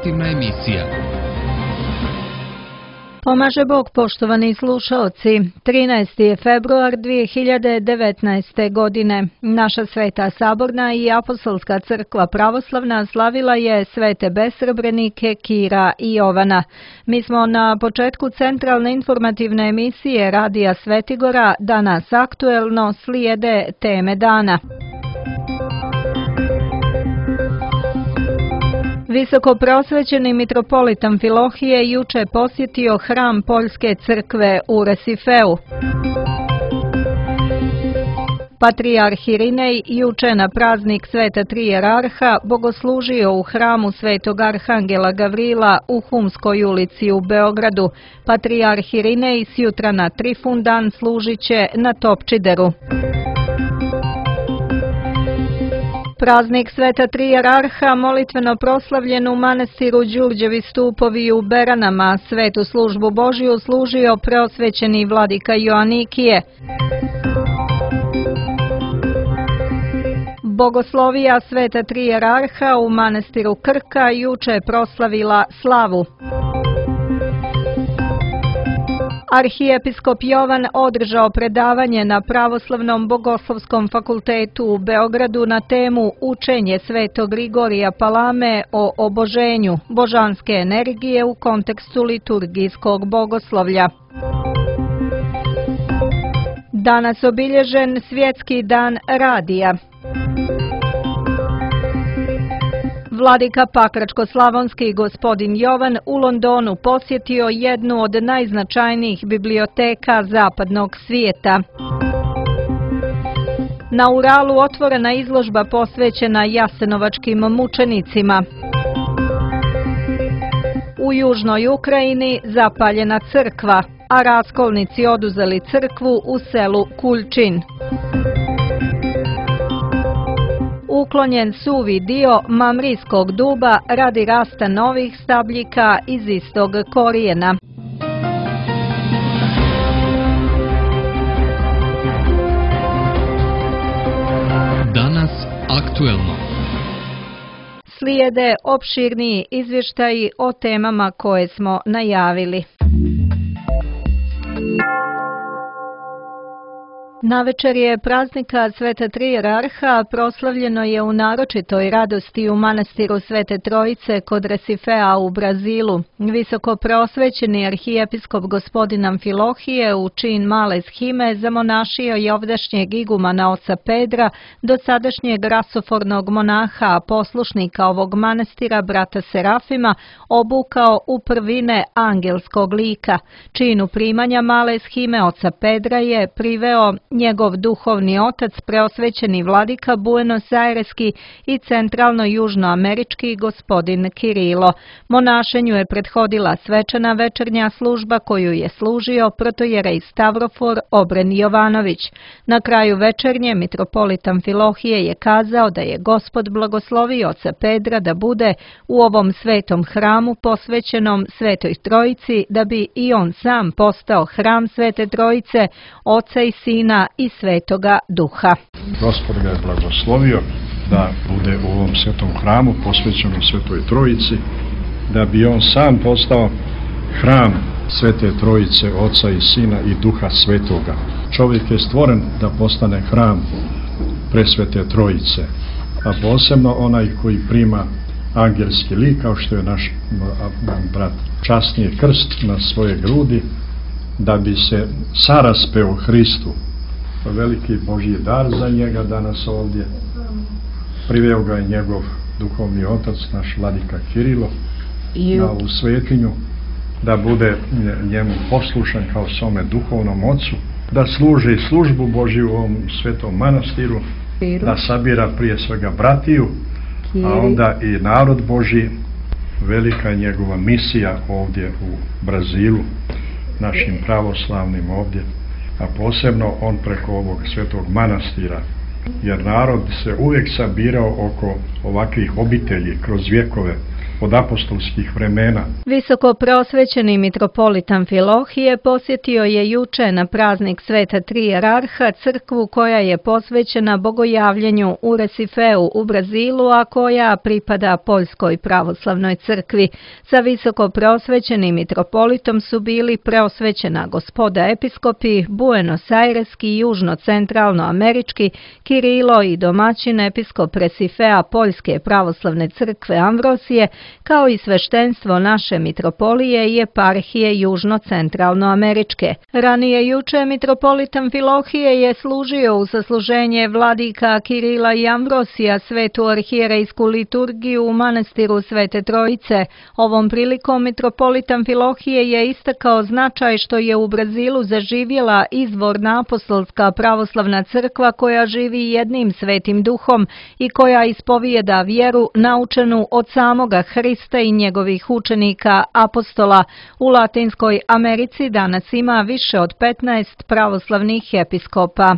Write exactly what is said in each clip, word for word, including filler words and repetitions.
informativna emisija. Pomaže Bog, poštovani slušaoci. trinaesti je februar dvije hiljade devetnaeste. godine. Naša Sveta Saborna i Apostolska crkva pravoslavna slavila je svete besrebrenike Kira i Jovana. Mi smo na početku centralne informativne emisije Radija Svetigora. Danas aktuelno slijede teme dana. Visoko prosvećeni mitropolit Amfilohije juče posjetio hram Poljske crkve u Resifeu. Patrijarh Irinej juče na praznik Sveta Tri Jerarha bogoslužio u hramu Svetog Arhangela Gavrila u Humskoj ulici u Beogradu. Patrijarh Irinej sjutra na Trifundan služit će na Topčideru. Praznik Sveta Tri Jerarha molitveno proslavljen u manastiru Đurđevi stupovi u Beranama. Svetu službu Božiju služio preosvećeni vladika Joanikije. Bogoslovija Sveta Tri Jerarha u manastiru Krka juče proslavila slavu. Arhijepiskop Jovan održao predavanje na Pravoslavnom bogoslovskom fakultetu u Beogradu na temu Učenje Svetog Grigorija Palame o oboženju, božanske energije u kontekstu liturgijskog bogoslovlja. Danas obilježen Svjetski dan radija. Vladika Pakračko-slavonski gospodin Jovan u Londonu posjetio jednu od najznačajnijih biblioteka zapadnog svijeta. Na Uralu otvorena izložba posvećena jasenovačkim mučenicima. U južnoj Ukrajini zapaljena crkva, a raskolnici oduzeli crkvu u selu Kuljčin. Uklonjen suvi dio mamrijskog duba radi rasta novih stabljika iz istog korijena. Danas aktuelno. Slijede opširniji izvještaji o temama koje smo najavili. Navečer je praznika Sveta Tri Jerarha proslavljeno je u naročitoj radosti u manastiru Svete Trojice kod Resifea u Brazilu. Visoko prosvećeni arhijepiskop gospodin Amfilohije u čin male shime zamonašio je ovdašnjeg igumana oca Pedra, dosadašnjeg rasofornog monaha, a poslušnika ovog manastira brata Serafima obukao u prvine angelskog lika. Činu primanja male shime oca Pedra je priveo njegov duhovni otac, preosvećeni vladika Buenos Aireski i centralno-južnoamerički gospodin Kirilo. Monašenju je prethodila svečana večernja služba koju je služio protojerej Stavrofor Obren Jovanović. Na kraju večernje mitropolit Amfilohije je kazao da je Gospod blagoslovio oca Pedra da bude u ovom svetom hramu posvećenom Svetoj Trojici, da bi i on sam postao hram Svete Trojice, Oca i Sina i Svetoga Duha. Gospod ga je blagoslovio da bude u ovom svetom hramu posvećenom Svetoj Trojici, da bi on sam postao hram Svete Trojice, Oca i Sina i Duha Svetoga. Čovjek je stvoren da postane hram presvete Trojice, a posebno onaj koji prima angelski lik, kao što je naš brat časnije krst na svoje grudi, da bi se saraspeo Hristu. Veliki Božji dar za njega danas ovdje. Priveo ga je njegov duhovni otac, naš vladika Kirilo, na ovu svetinju, da bude njemu poslušan kao svome duhovnom ocu, da služi službu Božju u ovom svetom manastiru, da sabira prije svega bratiju, a onda i narod Božji. Velika je njegova misija ovdje u Brazilu, našim pravoslavnim ovdje, a posebno on preko ovog svetog manastira, jer narod se uvijek sabirao oko ovakvih obitelji kroz vjekove, od apostolskih vremena. Visoko prosvećeni mitropolit Amfilohije posjetio je juče na praznik Sveta Tri Jerarha crkvu koja je posvećena bogojavljenju u Resifeu u Brazilu, a koja pripada Poljskoj pravoslavnoj crkvi. Sa visoko prosvećenim mitropolitom su bili preosvećena gospoda episkopi, Buenos Aireski i južno-centralno-američki, Kirilo i domaćin episkop Resifea Poljske pravoslavne crkve Amvrosije, kao i sveštenstvo naše mitropolije i eparhije južno-centralno-američke. Ranije juče mitropolit Amfilohije je služio u sasluženje vladika Kirila i Amvrosija svetu arhijerejsku liturgiju u manastiru Svete Trojice. Ovom prilikom mitropolit Amfilohije je istakao značaj što je u Brazilu zaživjela izvorna apostolska pravoslavna crkva koja živi jednim svetim duhom i koja ispovijeda vjeru naučenu od samoga Hrista i njegovih učenika apostola. U Latinskoj Americi danas ima više od petnaest pravoslavnih episkopa.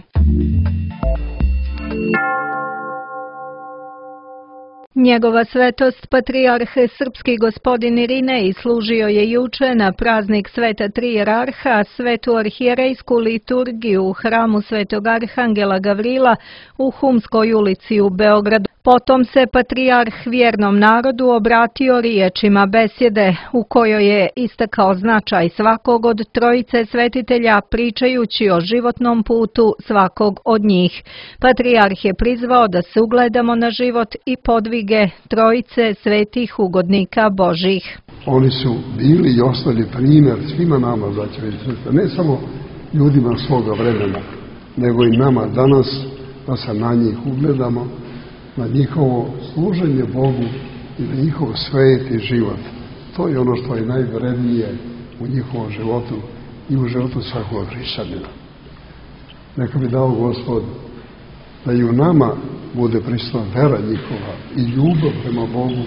Njegova svetost patrijarh srpski gospodin Irinej služio je juče na praznik Sveta Tri Jerarha svetu arhijerejsku liturgiju u hramu Svetog Arhangela Gavrila u Humskoj ulici u Beogradu. Potom se patrijarh vjernom narodu obratio riječima besjede u kojoj je istakao značaj svakog od trojice svetitelja pričajući o životnom putu svakog od njih. Patrijarh je prizvao da se ugledamo na život i podvige trojice svetih ugodnika Božih. Oni su bili i ostali primjer svima nama, braćo i sestre, ne samo ljudima svoga vremena, nego i nama danas, da se na njih ugledamo, na njihovo služenje Bogu i na njihov sveti život. To je ono što je najvrednije u njihovom životu i u životu svakog hrišćanina. Neka bi dao Gospod da i u nama bude prisutna vera njihova i ljubav prema Bogu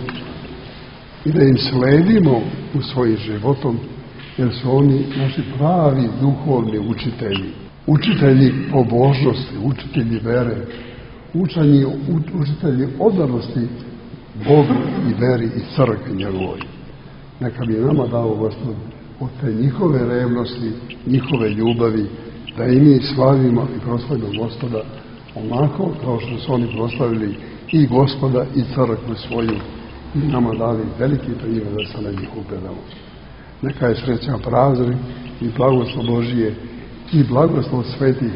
i da im sledimo u svojim životom, jer su oni naši pravi duhovni učitelji. Učitelji pobožnosti, učitelji vere, učenji, učitelji odanosti Bogu i veri i crkvi njegovoj. Neka bi nama dao Gospod od te njihove revnosti, njihove ljubavi, da i mi slavimo i proslavimo Gospoda onako kao što su oni proslavili i Gospoda i crkvu svoju i nama dali veliki primjer da se na njih ugledamo. Neka je srećan praznik i blagoslov Božije i blagoslov svetih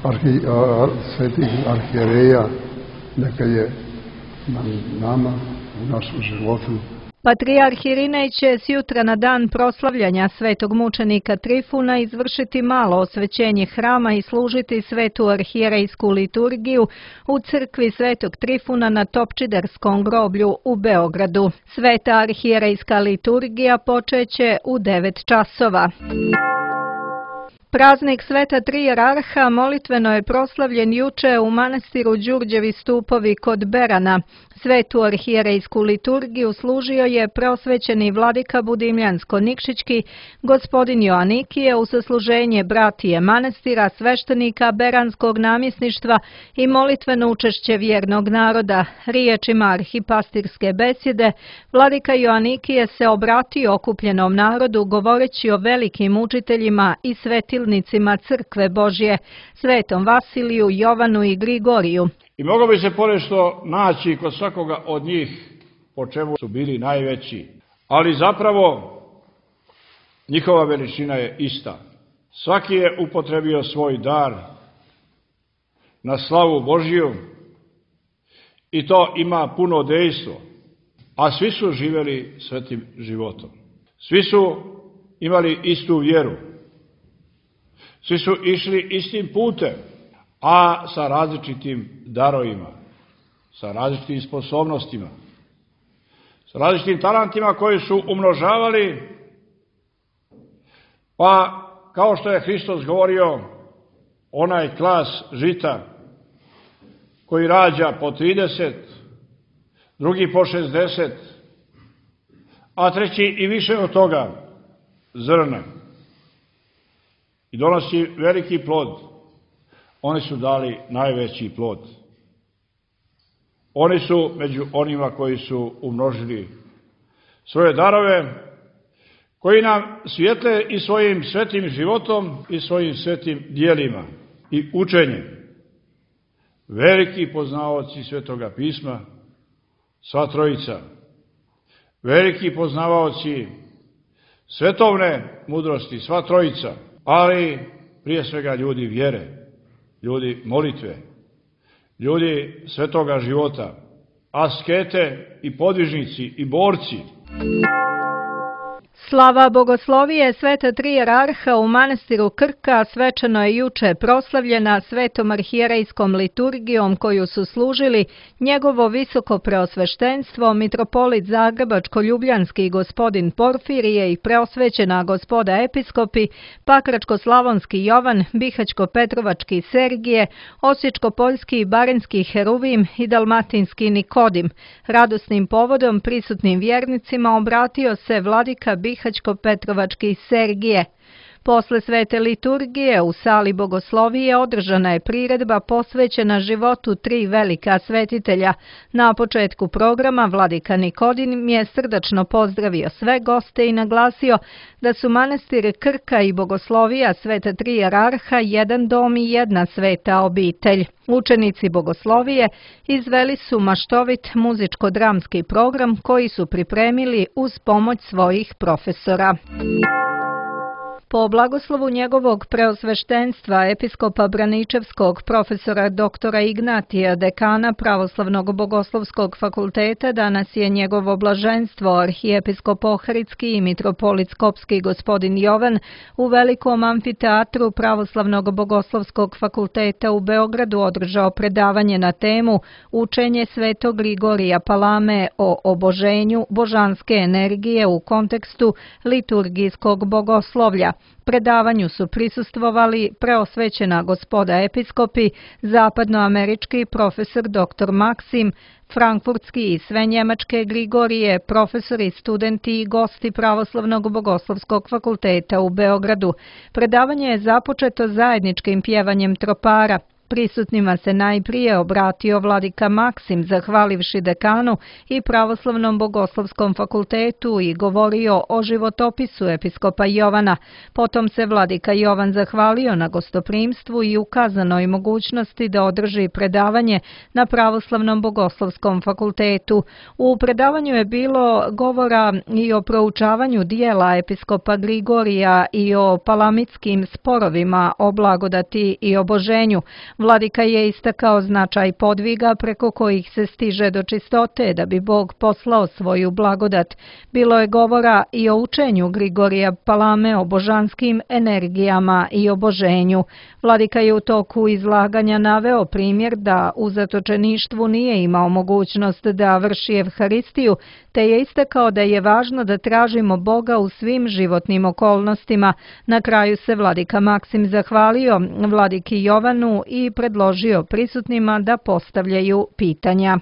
Arhi, a, svetih arhijereja, neka je na nama u našem životu. Patrijarh Irinej će sjutra na dan proslavljanja svetog mučenika Trifuna izvršiti malo osvećenje hrama i služiti svetu arhijerejsku liturgiju u crkvi Svetog Trifuna na Topčiderskom groblju u Beogradu. Sveta arhijerejska liturgija počeće u devet časova. Praznik Sveta Tri Jerarha molitveno je proslavljen juče u manastiru Đurđevi stupovi kod Berana. Svetu arhijerejsku liturgiju služio je preosvećeni vladika Budimljansko-Nikšićki, gospodin Joanikije u sasluženje bratije manastira, sveštenika Beranskog namjesništva i molitveno učešće vjernog naroda. Riječima arhipastirske besjede, vladika Joanikije se obratio okupljenom narodu govoreći o velikim učiteljima i svetilnicima crkve Božje, svetom Vasiliju, Jovanu i Grigoriju. I moglo bi se ponešto naći kod svakoga od njih po čemu su bili najveći, ali zapravo njihova veličina je ista. Svaki je upotrebio svoj dar na slavu Božju i to ima puno dejstvo, a svi su živjeli svetim životom. Svi su imali istu vjeru, svi su išli istim putem, a sa različitim darovima, sa različitim sposobnostima, sa različitim talentima koji su umnožavali, pa kao što je Hristos govorio, onaj klas žita koji rađa po trideset, drugi po šezdeset, a treći i više od toga zrna i donosi veliki plod. Oni su dali najveći plod. Oni su među onima koji su umnožili svoje darove, koji nam svijetle i svojim svetim životom i svojim svetim dijelima i učenjem. Veliki poznavaoci Svetoga pisma, sva trojica, veliki poznavaoci svetovne mudrosti, sva trojica, ali prije svega ljudi vjere, ljudi molitve, ljudi svetoga života, askete i podvižnici i borci. Slava bogoslovije sveta tri jerarha u manastiru Krka svečano je juče proslavljena svetom arhijerejskom liturgijom koju su služili njegovo visoko preosveštenstvo, mitropolit Zagrebačko-ljubljanski gospodin Porfirije i preosvećena gospoda episkopi, Pakračko-slavonski Jovan, Bihać-Petrovački Sergije, Osječko-poljski i Baranjski Heruvim i Dalmatinski Nikodim. Radosnim povodom prisutnim vjernicima obratio se vladika Bihać-Petrovački Sergije. Posle svete liturgije u sali bogoslovije održana je priredba posvećena životu tri velika svetitelja. Na početku programa vladika Nikodim je srdačno pozdravio sve goste i naglasio da su manastir Krka i bogoslovija sveta tri jerarha jedan dom i jedna sveta obitelj. Učenici bogoslovije izveli su maštovit muzičko-dramski program koji su pripremili uz pomoć svojih profesora. Po blagoslovu njegovog preosveštenstva episkopa Braničevskog profesora doktora Ignatija, dekana Pravoslavnog bogoslovskog fakulteta, danas je njegovo blaženstvo arhijepiskop Ohridski i mitropolit Skopski gospodin Jovan u velikom amfiteatru Pravoslavnog bogoslovskog fakulteta u Beogradu održao predavanje na temu Učenje svetog Grigorija Palame o oboženju božanske energije u kontekstu liturgijskog bogoslovlja. Predavanju su prisustvovali preosvećena gospoda episkopi, zapadnoamerički profesor doktor Maksim, frankfurtski i sve njemačke Grigorije, profesori, studenti i gosti Pravoslavnog bogoslovskog fakulteta u Beogradu. Predavanje je započeto zajedničkim pjevanjem tropara. Prisutnima se najprije obratio vladika Maksim, zahvalivši dekanu i Pravoslavnom bogoslovskom fakultetu i govorio o životopisu episkopa Jovana. Potom se vladika Jovan zahvalio na gostoprimstvu i ukazanoj mogućnosti da održi predavanje na Pravoslavnom bogoslovskom fakultetu. U predavanju je bilo govora i o proučavanju dijela episkopa Grigorija i o palamitskim sporovima o blagodati i oboženju. Vladika je istakao značaj podviga preko kojih se stiže do čistote da bi Bog poslao svoju blagodat. Bilo je govora i o učenju Grigorija Palame o božanskim energijama i oboženju. Vladika je u toku izlaganja naveo primjer da u zatočeništvu nije imao mogućnost da vrši evharistiju, te je istakao da je važno da tražimo Boga u svim životnim okolnostima. Na kraju se vladika Maksim zahvalio vladiki Jovanu i predložio prisutnima da postavljaju pitanja.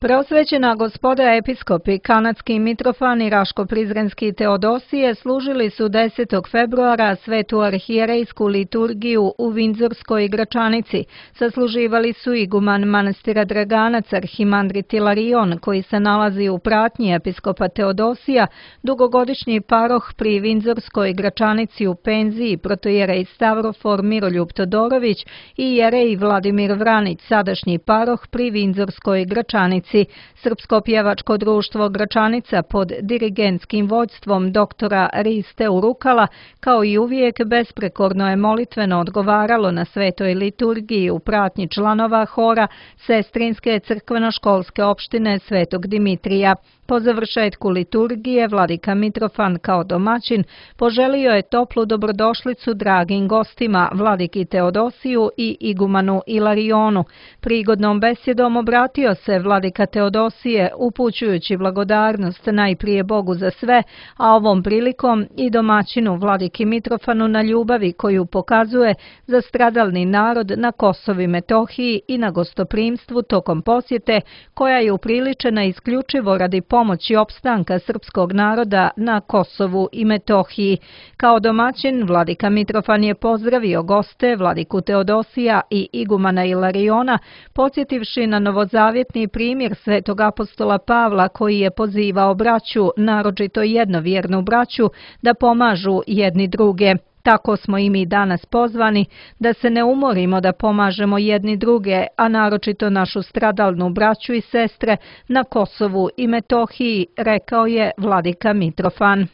Preosvećena gospoda episkopi, kanadski Mitrofan i Raško-Prizrenski Teodosije služili su desetog februara svetu arhijerejsku liturgiju u Vindzorskoj Gračanici. Sasluživali su iguman manastira Draganac arhimandrit Ilarion, koji se nalazi u pratnji episkopa Teodosija, dugogodišnji paroh pri Vindzorskoj Gračanici u penziji, protojerej Stavrofor Miroljub Todorović i jerej Vladimir Vranić, sadašnji paroh pri Vindzorskoj Gračanici. Srpsko pjevačko društvo Gračanica pod dirigentskim vođstvom doktora Riste Urukala, kao i uvijek, besprekorno je molitveno odgovaralo na svetoj liturgiji u pratnji članova hora Sestrinske crkveno-školske opštine Svetog Dimitrija. Po završetku liturgije, vladika Mitrofan kao domaćin poželio je toplu dobrodošlicu dragim gostima, vladiki Teodosiju i igumanu Ilarionu. Prigodnom besjedom obratio se vladika Teodosije, upućujući blagodarnost najprije Bogu za sve, a ovom prilikom i domaćinu vladiki Mitrofanu na ljubavi koju pokazuje za stradalni narod na Kosovu i Metohiji i na gostoprimstvu tokom posjete, koja je upriličena isključivo radi pomoći opstanka srpskog naroda na Kosovu i Metohiji. Kao domaćin, vladika Mitrofan je pozdravio goste, vladiku Teodosija i igumana Ilariona, podsjetivši na novozavjetni primjer manastir Svetog apostola Pavla koji je pozivao braću, naročito jednovjernu braću, da pomažu jedni druge. Tako smo i mi danas pozvani da se ne umorimo da pomažemo jedni druge, a naročito našu stradalnu braću i sestre na Kosovu i Metohiji, rekao je vladika Mitrofan.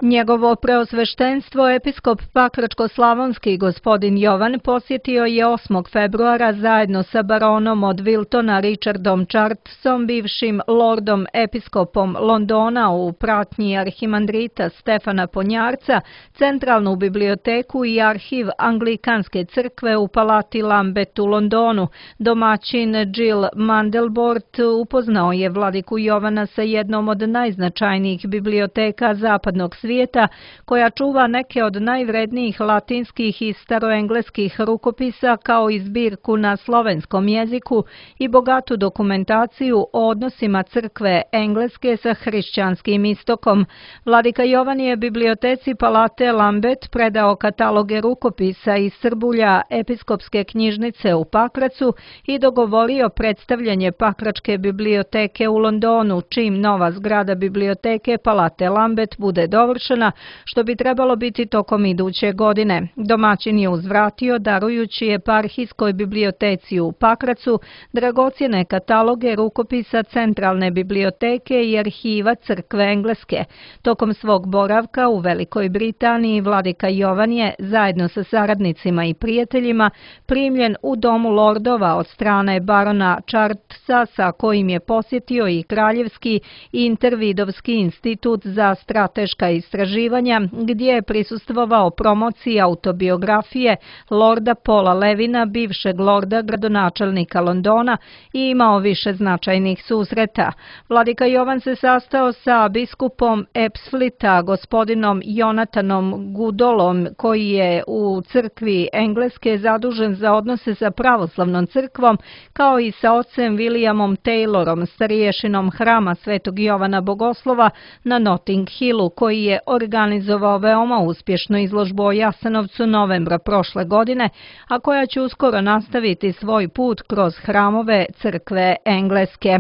Njegovo preosveštenstvo episkop Pakračko-slavonski gospodin Jovan posjetio je osmog februara zajedno sa baronom od Wiltona Richardom Chartesom, bivšim lordom episkopom Londona u pratnji arhimandrita Stefana Ponjarca, centralnu biblioteku i arhiv Anglikanske crkve u palati Lambeth u Londonu. Domaćin Jill Mandelbort upoznao je vladiku Jovana sa jednom od najznačajnijih biblioteka zapadnog svijeta, svijeta, koja čuva neke od najvrednijih latinskih i staroengleskih rukopisa kao i zbirku na slovenskom jeziku i bogatu dokumentaciju o odnosima crkve Engleske sa hrišćanskim istokom. Vladika Jovan je biblioteci palate Lambeth predao kataloge rukopisa iz Srbulja episkopske knjižnice u Pakracu i dogovorio predstavljanje Pakračke biblioteke u Londonu, čim nova zgrada biblioteke palate Lambeth bude dovršena, što bi trebalo biti tokom iduće godine. Domaćin je uzvratio darujući eparhijskoj biblioteci u Pakracu dragocjene kataloge rukopisa Centralne biblioteke i arhiva crkve Engleske. Tokom svog boravka u Velikoj Britaniji vladika Jovan je, zajedno sa saradnicima i prijateljima, primljen u Domu lordova od strane barona Chartesa, sa kojim je posjetio i Kraljevski intervidovski institut za strateška istraživanja, gdje je prisustvovao promociji autobiografije lorda Paula Levina, bivšeg lorda gradonačelnika Londona, i imao više značajnih susreta. Vladika Jovan se sastao sa biskupom Ebbsfleeta, gospodinom Jonathanom Goodallom, koji je u crkvi Engleske zadužen za odnose sa pravoslavnom crkvom, kao i sa ocem Williamom Taylorom, stariješinom hrama Svetog Jovana Bogoslova na Notting Hillu, koji je organizovao veoma uspješnu izložbu o Jasenovcu novembra prošle godine, a koja će uskoro nastaviti svoj put kroz hramove crkve Engleske.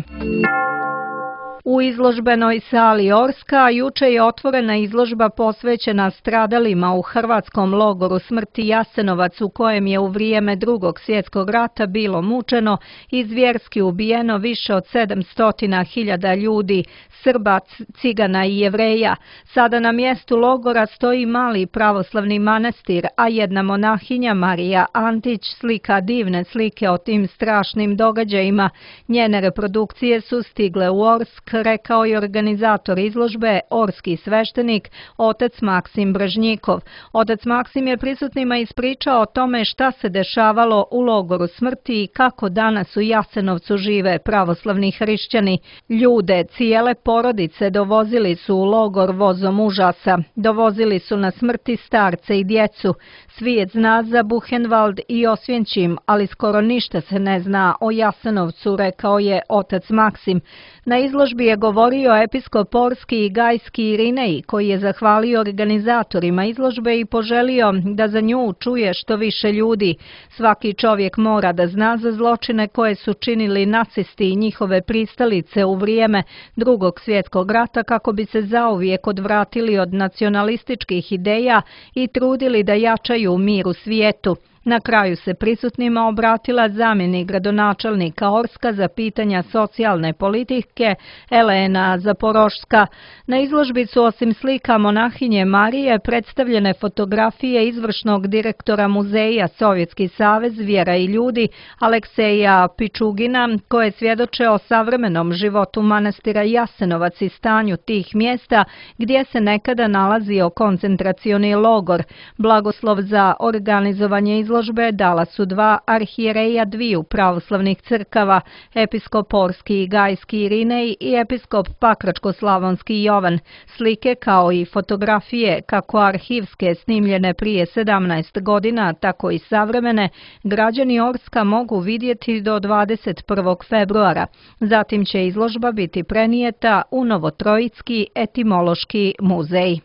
U izložbenoj sali Orska juče je otvorena izložba posvećena stradalima u hrvatskom logoru smrti Jasenovac, u kojem je u vrijeme Drugog svjetskog rata bilo mučeno i zvjerski ubijeno više od sedamsto hiljada ljudi, Srba, Cigana i Jevreja. Sada na mjestu logora stoji mali pravoslavni manastir, a jedna monahinja, Marija Antić, slika divne slike o tim strašnim događajima. Njene reprodukcije su stigle u Orsk, rekao je organizator izložbe, orski sveštenik, otac Maksim Brežnjikov. Otac Maksim je prisutnima ispričao o tome šta se dešavalo u logoru smrti i kako danas u Jasenovcu žive pravoslavni hrišćani. Ljude, cijele porodice dovozili su u logor vozom užasa. Dovozili su na smrti starce i djecu. Svijet zna za Buchenwald i Osvjenčim, ali skoro ništa se ne zna o Jasenovcu, rekao je otac Maksim. Na izložbi je govorio episkop Orski i Gajski Irinej, koji je zahvalio organizatorima izložbe i poželio da za nju čuje što više ljudi. Svaki čovjek mora da zna za zločine koje su činili nacisti i njihove pristalice u vrijeme Drugog svjetskog rata, kako bi se zauvijek odvratili od nacionalističkih ideja i trudili da jačaju mir u svijetu. Na kraju se prisutnima obratila zamjenik gradonačelnika Orska za pitanja socijalne politike Elena Zaporošska. Na izložbi su osim slika monahinje Marije predstavljene fotografije izvršnog direktora muzeja Sovjetski savez Vjera i ljudi Alekseja Pičugina, koje svjedoče o savremenom životu manastira Jasenovac i stanju tih mjesta gdje se nekada nalazio koncentracioni logor. Blagoslov za organizovanje izložbe dala su dva arhijereja dviju pravoslavnih crkava, episkop Orski i Gajski Irinej i episkop Pakračko-slavonski Jovan. Slike kao i fotografije, kako arhivske snimljene prije sedamnaest godina, tako i savremene, građani Orska mogu vidjeti do dvadeset prvog februara. Zatim će izložba biti prenijeta u Novotrojicki etimološki muzej.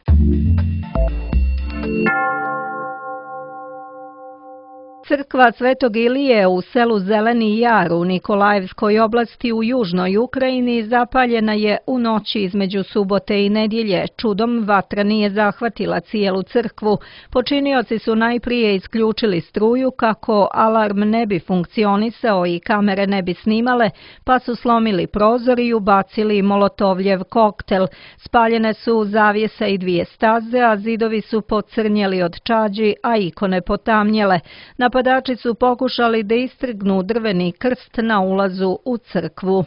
Crkva Svetog Ilije u selu Zeleni Jar u Nikolajevskoj oblasti u južnoj Ukrajini zapaljena je u noći između subote i nedjelje. Čudom vatra nije zahvatila cijelu crkvu. Počinioci su najprije isključili struju kako alarm ne bi funkcionisao i kamere ne bi snimale, pa su slomili prozor i ubacili molotovljev koktel. Spaljene su zavjesa i dvije staze, a zidovi su pocrnjeli od čađi, a ikone potamnjele. Napadači su pokušali da istrgnu drveni krst na ulazu u crkvu.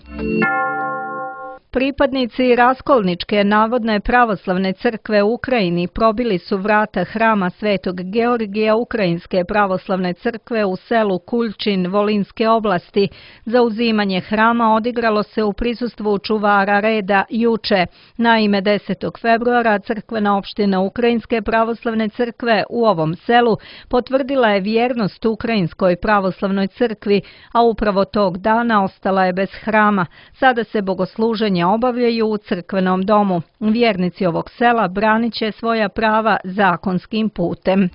Pripadnici Raskolničke navodne pravoslavne crkve u Ukrajini probili su vrata hrama Svetog Georgija Ukrajinske pravoslavne crkve u selu Kuljčin Volinske oblasti. Zauzimanje hrama odigralo se u prisustvu čuvara reda juče. Naime, desetog februara crkvena opština Ukrajinske pravoslavne crkve u ovom selu potvrdila je vjernost Ukrajinskoj pravoslavnoj crkvi, a upravo tog dana ostala je bez hrama. Sada se bogosluženje obavljaju u crkvenom domu. Vjernici ovog sela branit će svoja prava zakonskim putem.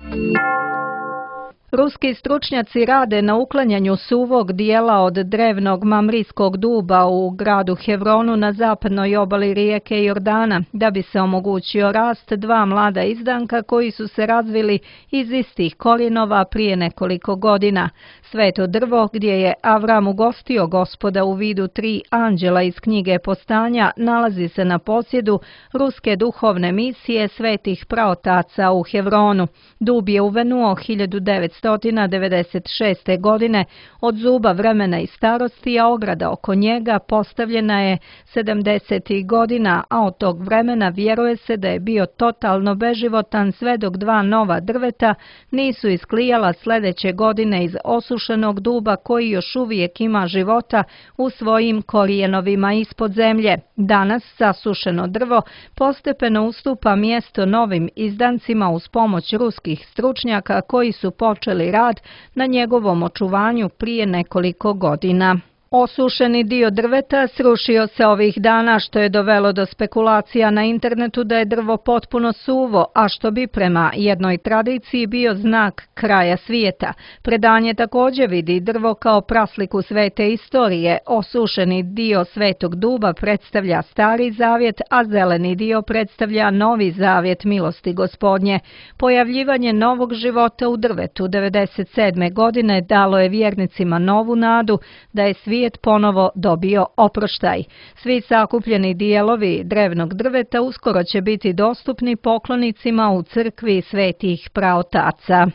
Ruski stručnjaci rade na uklanjanju suvog dijela od drevnog mamrijskog duba u gradu Hevronu na zapadnoj obali rijeke Jordana, da bi se omogućio rast dva mlada izdanka koji su se razvili iz istih korijenova prije nekoliko godina. Sveto drvo, gdje je Avram ugostio Gospoda u vidu tri anđela iz knjige Postanja, nalazi se na posjedu ruske duhovne misije svetih praotaca u Hevronu. Dub je uvenuo hiljadu devetsto devedeset šeste. godine od zuba vremena i starosti, a ograda oko njega postavljena je sedamdesetih godina, a od tog vremena vjeruje se da je bio totalno beživotan sve dok dva nova drveta nisu isklijala sljedeće godine iz osušenog duba koji još uvijek ima života u svojim korijenovima ispod zemlje. Danas sasušeno drvo postepeno ustupa mjesto novim izdancima uz pomoć ruskih stručnjaka koji su počeli rad na njegovom očuvanju prije nekoliko godina. Osušeni dio drveta srušio se ovih dana, što je dovelo do spekulacija na internetu da je drvo potpuno suvo, a što bi prema jednoj tradiciji bio znak kraja svijeta. Predanje također vidi drvo kao prasliku svete istorije. Osušeni dio svetog duba predstavlja stari zavjet, a zeleni dio predstavlja novi zavjet milosti Gospodnje. Pojavljivanje novog života u drvetu devedeset sedme. godine dalo je vjernicima novu nadu da je svijet ponovo dobio oproštaj. Svi sakupljeni dijelovi drevnog drveta uskoro će biti dostupni poklonicima u crkvi svetih praotaca.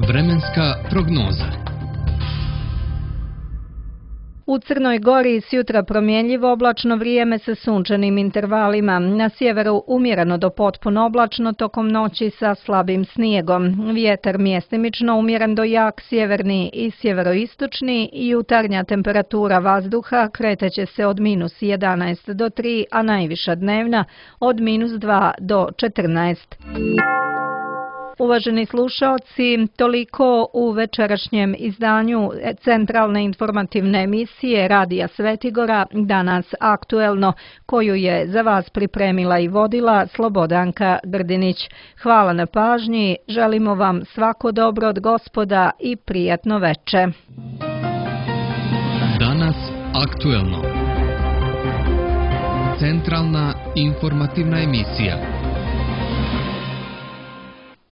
Vremenska prognoza. U Crnoj Gori sjutra promjenjivo oblačno vrijeme sa sunčanim intervalima. Na sjeveru umjereno do potpuno oblačno tokom noći sa slabim snijegom. Vjetar mjestimično umjeren do jak sjeverni i sjeveroistočni. Jutarnja temperatura vazduha kreteće se od minus jedanaest do tri, a najviša dnevna od minus dva do četrnaest. Uvaženi slušalci, toliko u večerašnjem izdanju centralne informativne emisije Radija Svetigora, Danas aktuelno, koju je za vas pripremila i vodila Slobodanka Grdinić. Hvala na pažnji, želimo vam svako dobro od Gospoda i prijatno veče. Danas aktuelno. Centralna informativna emisija.